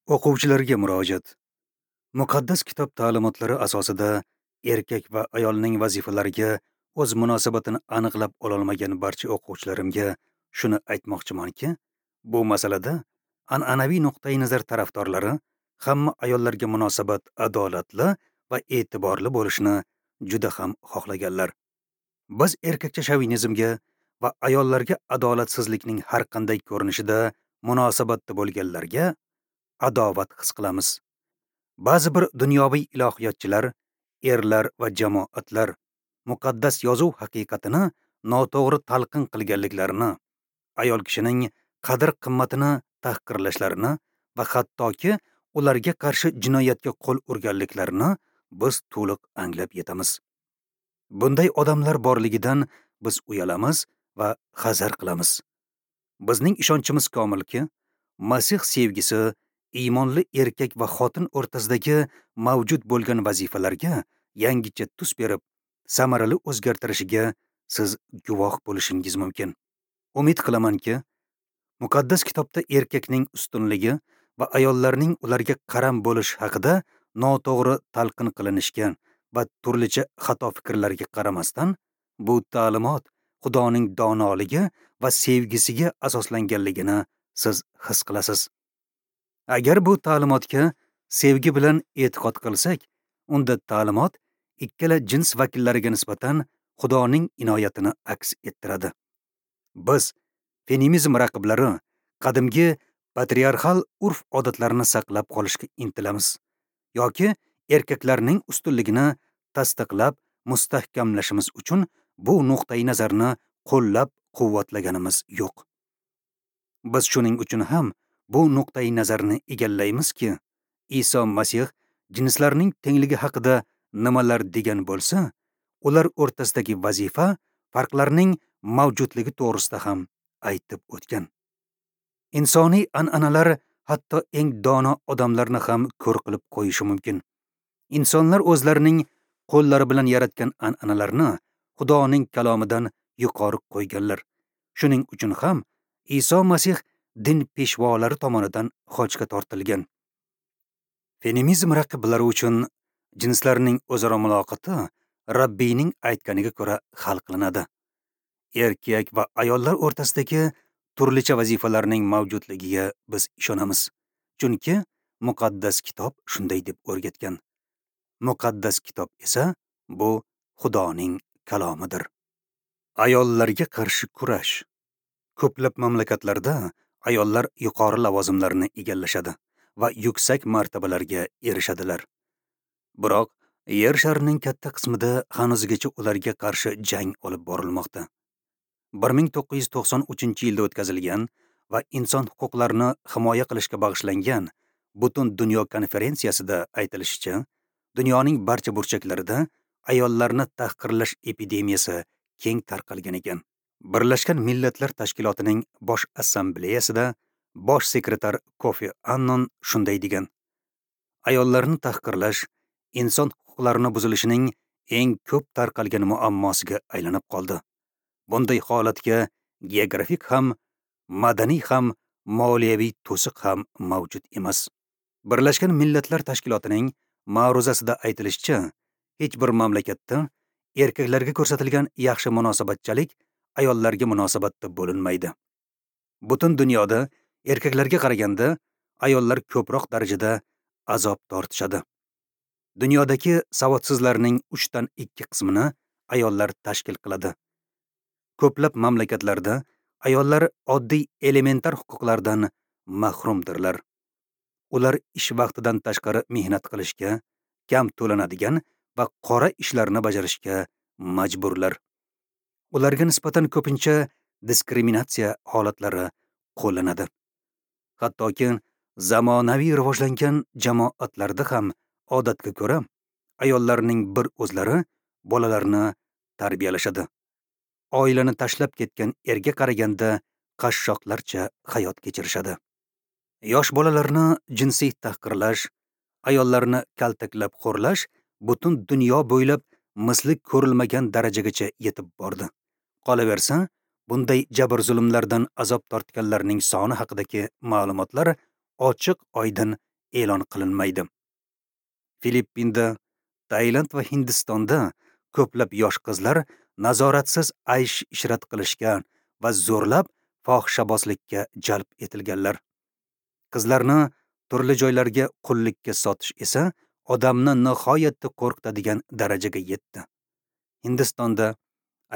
O'quvchilarga murojaat. Muqaddas kitob ta'limotlari asosida erkak va ayolning vazifalariga o'z munosabatini aniqlab ololmagan barcha o'quvchilarimga shuni aytmoqchimanki, bu masalada an'anaviy nuqtai nazar tarafdorlari hamma ayollarga munosabat adolatli va e'tiborli bo'lishini juda ham xohlaganlar. Biz erkakcha shovinizmga va ayollarga adolatsizlikning har qanday ko'rinishida munosabatda bo'lganlarga adovat his qilamiz. Ba'zi bir dunyoviy ilohiyotchilar, erlar va jamoatlar muqaddas yozuv haqiqatini noto'g'ri talqin qilganliklarini, ayol kishining qadr-qimmatini tahqirlashlarini va hattoki ularga qarshi jinoyatga qo'l urganliklarini biz to'liq anglab yetamiz. Bunday odamlar borligidan biz uyalamiz va hazar qilamiz. Bizning ishonchimiz komilki, Masih sevgisi iymonli erkak va xotin o'rtasidagi mavjud bo'lgan vazifalarga yangicha tus berib, samarali o'zgartirishiga siz guvoh bo'lishingiz mumkin. Umid qilamanki, muqaddas kitobda erkakning ustunligi va ayollarning ularga qaram bo'lish haqida noto'g'ri talqin qilinishga va turlicha xato fikrlarga qaramasdan, bu ta'limot Xudoning donoligi va sevgisiga asoslanganligini siz his qilasiz. Agar bu ta'limotga sevgi bilan e'tiqod qilsak, unda ta'limot ikkala jins vakillariga nisbatan Xudoning inoyatini aks ettiradi. Biz feminizm raqiblari qadimgi patriarxal urf-odatlarni saqlab qolishga intilamiz yoki erkaklarning ustunligini tasdiqlab mustahkamlashimiz uchun bu nuqtai nazarni qo'llab quvvatlaganimiz yo'q. Biz shuning uchun ham bu nuqtai nazarni egallaymizki, Iso Masih jinslarning tengligi haqida nimalar degan bo'lsa, ular o'rtasidagi vazifa farqlarning mavjudligi to'g'risida ham aytib o'tgan. Insoniy an'analar hatto eng dono odamlarni ham ko'r qilib qo'yishi mumkin. Insonlar o'zlarining qo'llari bilan yaratgan an'analarni Xudoning kalomidan yuqori qo'yganlar. Shuning uchun ham Iso Masih din peshvolari tomonidan xochga tortilgan. Feminizm raqiblari uchun jinslarning o'zaro muloqoti Rabbiyning aytganiga ko'ra hal qilinadi. Erkak va ayollar o'rtasidagi turlicha vazifalarning mavjudligiga biz ishonamiz. Chunki muqaddas kitob shunday deb o'rgatgan. Muqaddas kitob esa bu Xudoning kalomidir. Ayollarga qarshi kurash. Ko'plab mamlakatlarda ayollar yuqori lavozimlarni egallashadi va yuksak martabalarga erishadilar. Biroq yer sharining katta qismida hanuzgacha ularga qarshi jang olib borilmoqda. 1993-yilda o'tkazilgan va inson huquqlarini himoya qilishga bag'ishlangan butun dunyo konferensiyasida aytilishicha, dunyoning barcha burchaklarida ayollarni tahqirlash epidemiyasi keng tarqalgan ekan. Birlashgan Millatlar Tashkilotining Bosh Assambleyasida bosh sekretar Kofi Annan shunday degan: ayollarni tahqirlash inson huquqlarini buzilishining eng ko'p tarqalgan muammosiga aylanib qoldi. Bunday holatga geografik ham, madaniy ham, moliyaviy to'siq ham mavjud emas. Birlashgan Millatlar Tashkilotining ma'ruzasida aytilishicha, hech bir mamlakatda erkaklarga ko'rsatilgan yaxshi munosabatchalik ayollarga munosabatda bo'linmaydi. Butun dunyoda erkaklarga qaraganda ayollar ko'proq darajada azob tortishadi. Dunyodagi savodsizlarning 3dan 2 qismini ayollar tashkil qiladi. Ko'plab mamlakatlarda ayollar oddiy elementar huquqlardan mahrumdirlar. Ular ish vaqtidan tashqari mehnat qilishga, kam to'lanadigan va qora ishlarni bajarishga majburlar. Ularga nisbatan ko'pincha diskriminatsiya holatlari qo'llanadi. Hattoki zamonaviy rivojlangan jamoatlarda ham odatga ko'ra ayollarning bir o'zlari bolalarni tarbiyalashadi. Oilani tashlab ketgan erga qaraganda qashshoqlarcha hayot kechirishadi. Yosh bolalarni jinsiy tahqirlash, ayollarni kaltaklab xo'rlash butun dunyo bo'ylab misli ko'rilmagan darajagacha yetib bordi. Qolaversa, bunday jabr-zulmlardan azob tortganlarning soni haqidagi ma'lumotlar ochiq oydin e'lon qilinmaydi. Filippinda, Tailand va Hindistonda ko'plab yosh qizlar nazoratsiz aysh-ishrat qilishga va zo'rlab fohishabozlikka jalb etilganlar. Qizlarni turli joylarga qullikka sotish esa odamni nihoyatda qo'rqitadigan darajaga yetdi. Hindistonda,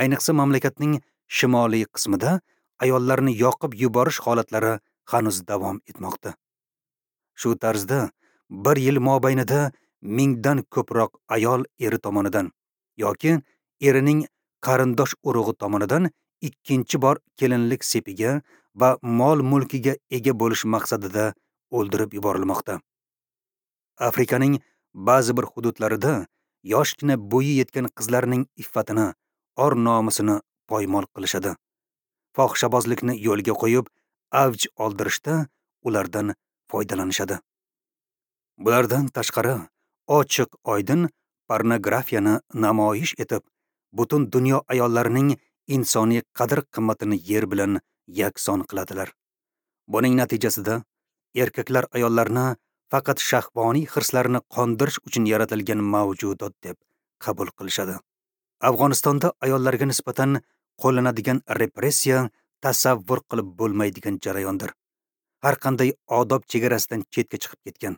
ayniqsa mamlakatning shimoliy qismida ayollarni yoqib yuborish holatlari hanuz davom etmoqda. Shu tarzda bir yil mobaynida 1000 dan ko'proq ayol eri tomonidan yoki erining qarindosh urug'i tomonidan ikkinchi bor kelinlik sepiga va mol-mulkiga ega bo'lish maqsadida o'ldirib yuborilmoqda. Afrikaning ba'zi bir hududlarida yoshgina bo'yi yetgan qizlarning iffatini, or-nomusini poymol qilishadi. Fohishabozlikni yo'lga qo'yib, avj oldirishda ulardan foydalanishadi. Bulardan tashqari, ochiq oydin pornografiyani namoyish etib, butun dunyo ayollarining insoniy qadr-qimmatini yer bilan yakson qiladilar. Buning natijasida erkaklar ayollarni faqat shahvoniy hirslarini qondirish uchun yaratilgan mavjudot deb qabul qilishadi. Afg'onistonda ayollarga nisbatan qo'llanadigan repressiya tasavvur qilib bo'lmaydigan jarayondir. Har qanday odob chegarasidan chetga chiqib ketgan.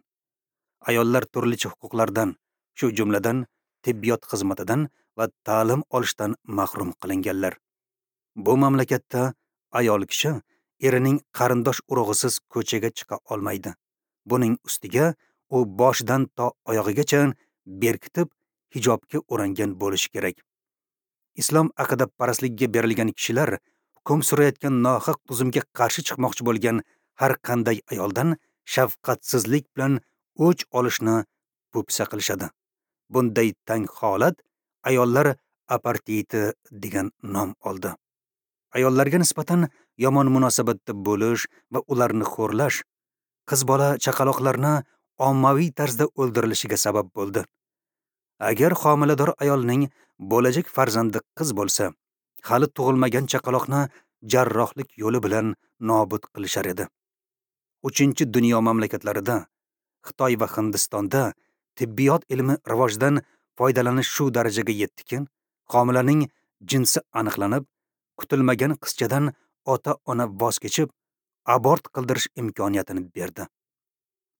Ayollar turlicha huquqlardan, shu jumladan tibbiyot xizmatidan va ta'lim olishdan mahrum qilinganlar. Bu mamlakatda ayol kishi erining qarindosh urug'isiz ko'chaga chiqa olmaydi. Buning ustiga u boshidan to oyog'igacha berkitib hijobga o'rangan bo'lishi kerak. Islom aqidaparastligiga berilgan kishilar hukm surayotgan nohaq tuzumga qarshi chiqmoqchi bo'lgan har qanday ayoldan shafqatsizlik bilan o'ch olishni po'pisa qilishadi. Bunday tang holat ayollar aparteidi degan nom oldi. Ayollarga nisbatan yomon munosabatda bo'lish va ularni xo'rlash qiz bola chaqaloqlarni ommaviy tarzda o'ldirilishiga sabab bo'ldi. Agar homilador ayolning bo'lajak farzandi qiz bo'lsa, hali tug'ilmagan chaqaloqni jarrohlik yo'li bilan nobud qilishar edi. 3-dunyo mamlakatlarida, Xitoy va Hindistonda tibbiyot ilmi rivojidan foydalanish shu darajaga yetdiki, homilaning jinsi aniqlanib, kutilmagan qizchadan ota-ona voz kechib, abort qildirish imkoniyatini berdi.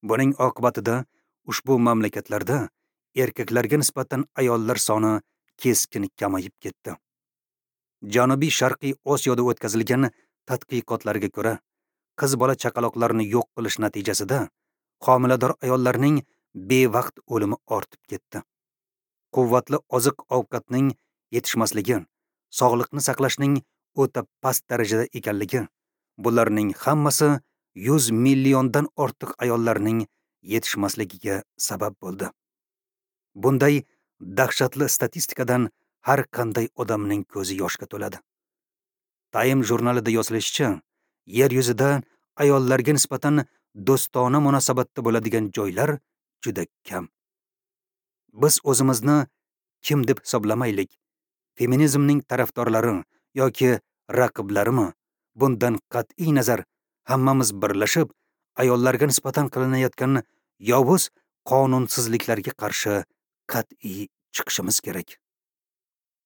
Buning oqibatida ushbu mamlakatlarda erkaklarga nisbatan ayollar soni keskin kamayib ketdi. Janubiy Sharqiy Osiyoda o'tkazilgan tadqiqotlarga ko'ra, qiz bola chaqaloqlarni yo'q qilish natijasida homilador ayollarning bevaqt o'limi ortib ketdi. Quvvatli oziq-ovqatning yetishmasligi, sog'liqni saqlashning o'ta past darajada ekanligi, bularning hammasi 100 milliondan ortiq ayollarning yetishmasligiga sabab bo'ldi. Bunday dahshatli statistikadan har qanday odamning ko'zi yoshga to'ladi. Time jurnalida yozilishicha, yer yuzida ayollarga nisbatan do'stona munosabatda bo'ladigan joylar juda kam. Biz o'zimizni kim deb hisoblamaylik, feminizmning tarafdorlari yoki raqiblarimi, bundan qat'iy nazar hammamiz birlashib, ayollarga nisbatan qilinayotgan yovuz qonunsizliklarga qarshi qat'iy chiqishimiz kerak.